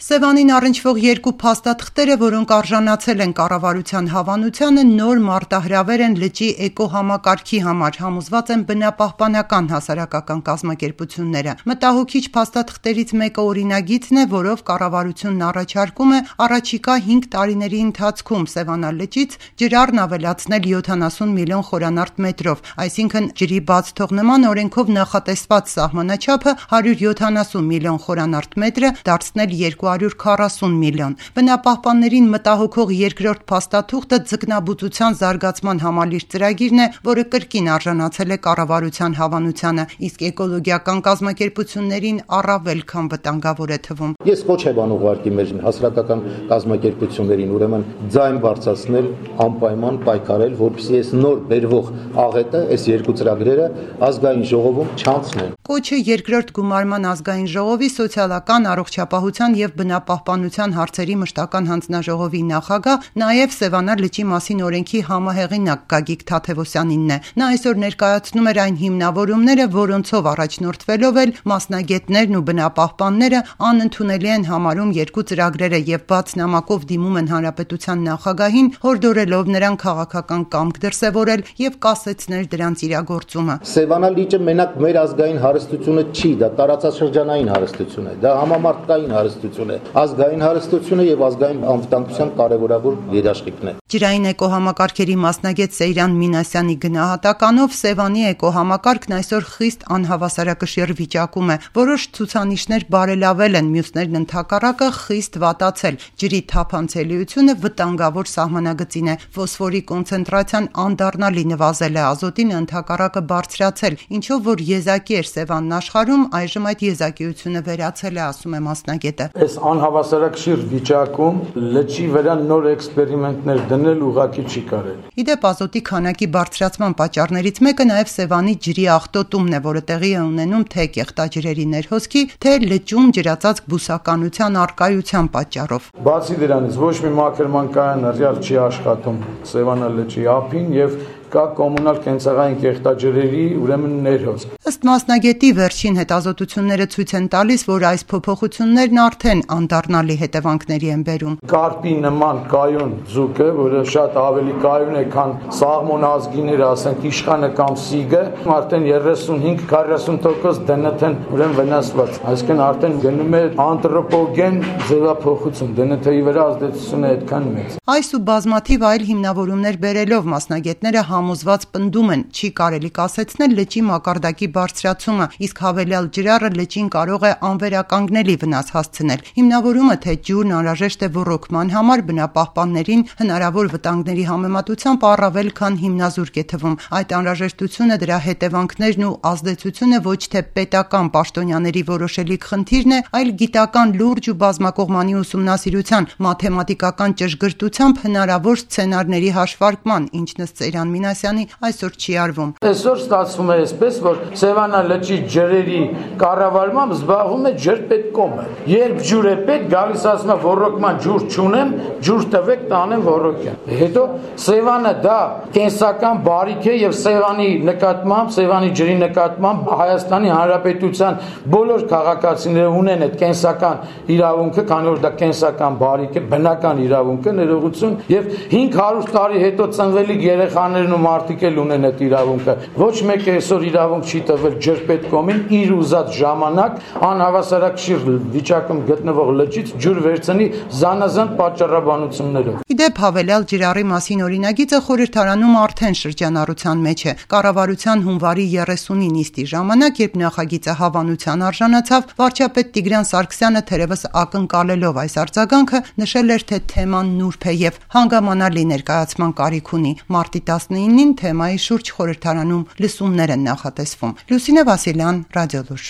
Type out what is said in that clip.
Սևանին առնչվող երկու փաստաթղթերը, որոնք արժանացել են կառավարության հավանությանը, նոր մարտահրավեր են լճի էկոհամակարգի համար, համոզված են բնապահպանական հասարակական կազմակերպությունները։ Մտահոգիչ փաստաթղթերից մեկը օրինագիծն է, որով կառավարությունն առաջարկում է առաջիկա 5 տարիների ընթացքում Սևանալճից ջրառն ավելացնել 70 միլիոն խորանարդ մետրով, այսինքն ջրի բաց թողնման օրենքով նախատեսված սահմանաչափը 170 միլիոն խորանարդ մետրը դարձնել 240 միլիոն։ Բնապահպաններին մտահոգող երկրորդ փաստաթուղթը ձկնաբուծության զարգացման համալիր ծրագիրն է, որը կրկին արժանացել է կառավարության հավանությանը, իսկ էկոլոգիական կազմակերպություններին առավել քան վտանգավոր է թվում։ Ես ոչ եմ ուղղակի մեր հասարակական կազմակերպություններին ուրեմն ձայն բարձրացնել, անպայման պայքարել, որպեսզի այս նոր բերվող աղետը, այս երկու ծրագրերը ազգային ժողովում չանցնեն։ Կոչը երկրորդ գումարման ազգային ժողովի սոցիալական առողջապահության և բնապահպանության հարցերի մշտական հանձնաժողովի նախագահ, նաև Սևանա լճի մասին օրենքի համահեղինակ Գագիկ Թադևոսյանինն է։ Նա այսօր ներկայացնում էր այն հիմնավորումները, որոնցով առաջնորդվելով էլ մասնագետներն ու բնապահպանները անընդունելի են համարում երկու ծրագրերը և բաց նամակով դիմում են հանրապետության նախագահին, հորդորելով նրան քաղաքական կամք դրսևորել և կասեցնել դրանց իրագործումը։ Սևանա լիճը մենակ մեր ազգային հարստությունը չի, դա տարածաշրջանային հարստություն է, դա համամարտկային հարստություն է, ազգային հարստությունը եւ ազգային անվտանգության կարևորավոր երաշխիքն է։ Ջրային էկոհամակարգերի մասնագետ Սեյրան Մինասյանի գնահատականով Սևանի էկոհամակարգն այսօր խիստ անհավասարակշիռ վիճակում է։ Որոշ ցուցանիշներ բարելավել են, մյուսներն ընդհակառակը խիստ վատացել։ Ջրի թափանցելիությունը վտանգավոր սահմանագծին է։ Ֆոսֆորի կոնցենտրացիան անդառնալի նվազել է, ազոտին ընդհակառակը բարձրացել, ինչով որ եզակի էր Սևանն աշխարհում, այժմ այդ եզակիությունը վերացել է, ասում է մասնագետը։ Այս անհավասարակշիռ վիճակում լճի վրա նոր էքսպերիմենտներ դնել ուղղակի չի կարելի։ Իդեպ ազոտի քանակի բարձրացման պատճառներից մեկը նաև Սևանի ջրի աղտոտումն է, որը տեղի է ունենում թե կեղտաջրերի ներհոսքի, թե լճում ջրածածկ բուսականության առկայության պատճառով։ Բացի դրանից ոչ մի մաքրման կայան ռեալ չի աշխատում Սևանա լճի ափին եւ կա կոմունալ կենցաղային կեղտաջրերի ուրեմն ներհոսք։ Ըստ մասնագետի վերջին հետազոտությունները ցույց են տալիս, որ այս փոփոխություններն արդեն անդառնալի հետևանքների են բերում։ Կարպի նման կայուն ձուկը, որը շատ ավելի կայուն է, քան սաղմոն ազգիները, ասենք իշխանը կամ սիգը, արդեն 35-40% DNT-ն ուրեմն վնասված։ Այսինքն արդեն գնում է անտրոպոգեն ձևափոխություն, DNT-ի վրա ազդեցությունը այդքան մեծ։ Այս ու բազմաթիվ այլ հիմնավորումներ բերելով մասնագետները համոզված պնդում են, չի կարելի կասեցնել լճի մակարդակի բարձրացումը, իսկ հավելյալ ջրառը լճին կարող է անվերականգնելի վնաս հասցնել։ Հիմնավորումը, թե ջուրն անհրաժեշտ է ոռոգման համար, բնապահպաններին հնարավոր վտանգների համեմատությամբ առավել քան հիմնազուրկ է թվում։ Այդ անհրաժեշտությունը, դրա հետևանքներն ու ազդեցությունը ոչ թե պետական պաշտոնյաների որոշելիք խնդիրն է, այլ գիտական լուրջ ու բազմակողմանի ուսումնասիրության, մաթեմատիկական ճշգրտությամբ հնարավոր սցենարների հաշվարկման, ինչն ըստ Սեյրան Մինասյանի այսօր չի արվում։ Այսօր ստացվում է այսպես, որ Սևանա լճի ջրերի կառավարմամբ զբաղվում է ջրպետկոմը։ Երբ ջուր է պետք, գալիս ասում է ոռոգման ջուր չունեմ, ջուր տվեք, տանեմ ոռոգեմ։ Հետո Սևանը դա կենսական բարիք է եւ Սևանի նկատմամբ, Սևանի ջրի նկատմամբ Հայաստանի Հանրապետության բոլոր քաղաքացիները ունեն այդ կենսական իրավունքը, քանի որ դա կենսական բարիք է, բնական իրավունք է, ներողություն, եւ 500 տարի հետո ծնվելիք երեխաներն ու մարդիկ էլ ունեն այդ իրավունքը։ Ոչ մեկը այսօր իրավունք չի տվել ջրպետկոմին իր ուզած ժամանակ անհավասարակշիռ վիճակում գտնվող լճից ջուր վերցնի զանազան պատճառաբանություններով։ Իդեպ հավելյալ ջրառի մասին օրինագիծը խորհրդարանում արդեն շրջանառության մեջ է։ Կառավարության հունվարի 30-ի նիստի ժամանակ, երբ նախագիծը հավանության արժանացավ, վարչապետ Տիգրան Սարգսյանը թերևս ակնկալելով այս արձագանքը նշել էր, թե թեման նուրբ է եւ հանգամանալի ներկայացման կարիք ունի։ Մարտի 19-ին թեմայի շուրջ խորհրդարանում լսումներ են նախատեսվում։ Լուսինե Վասիլյան, Ռադիոլուր։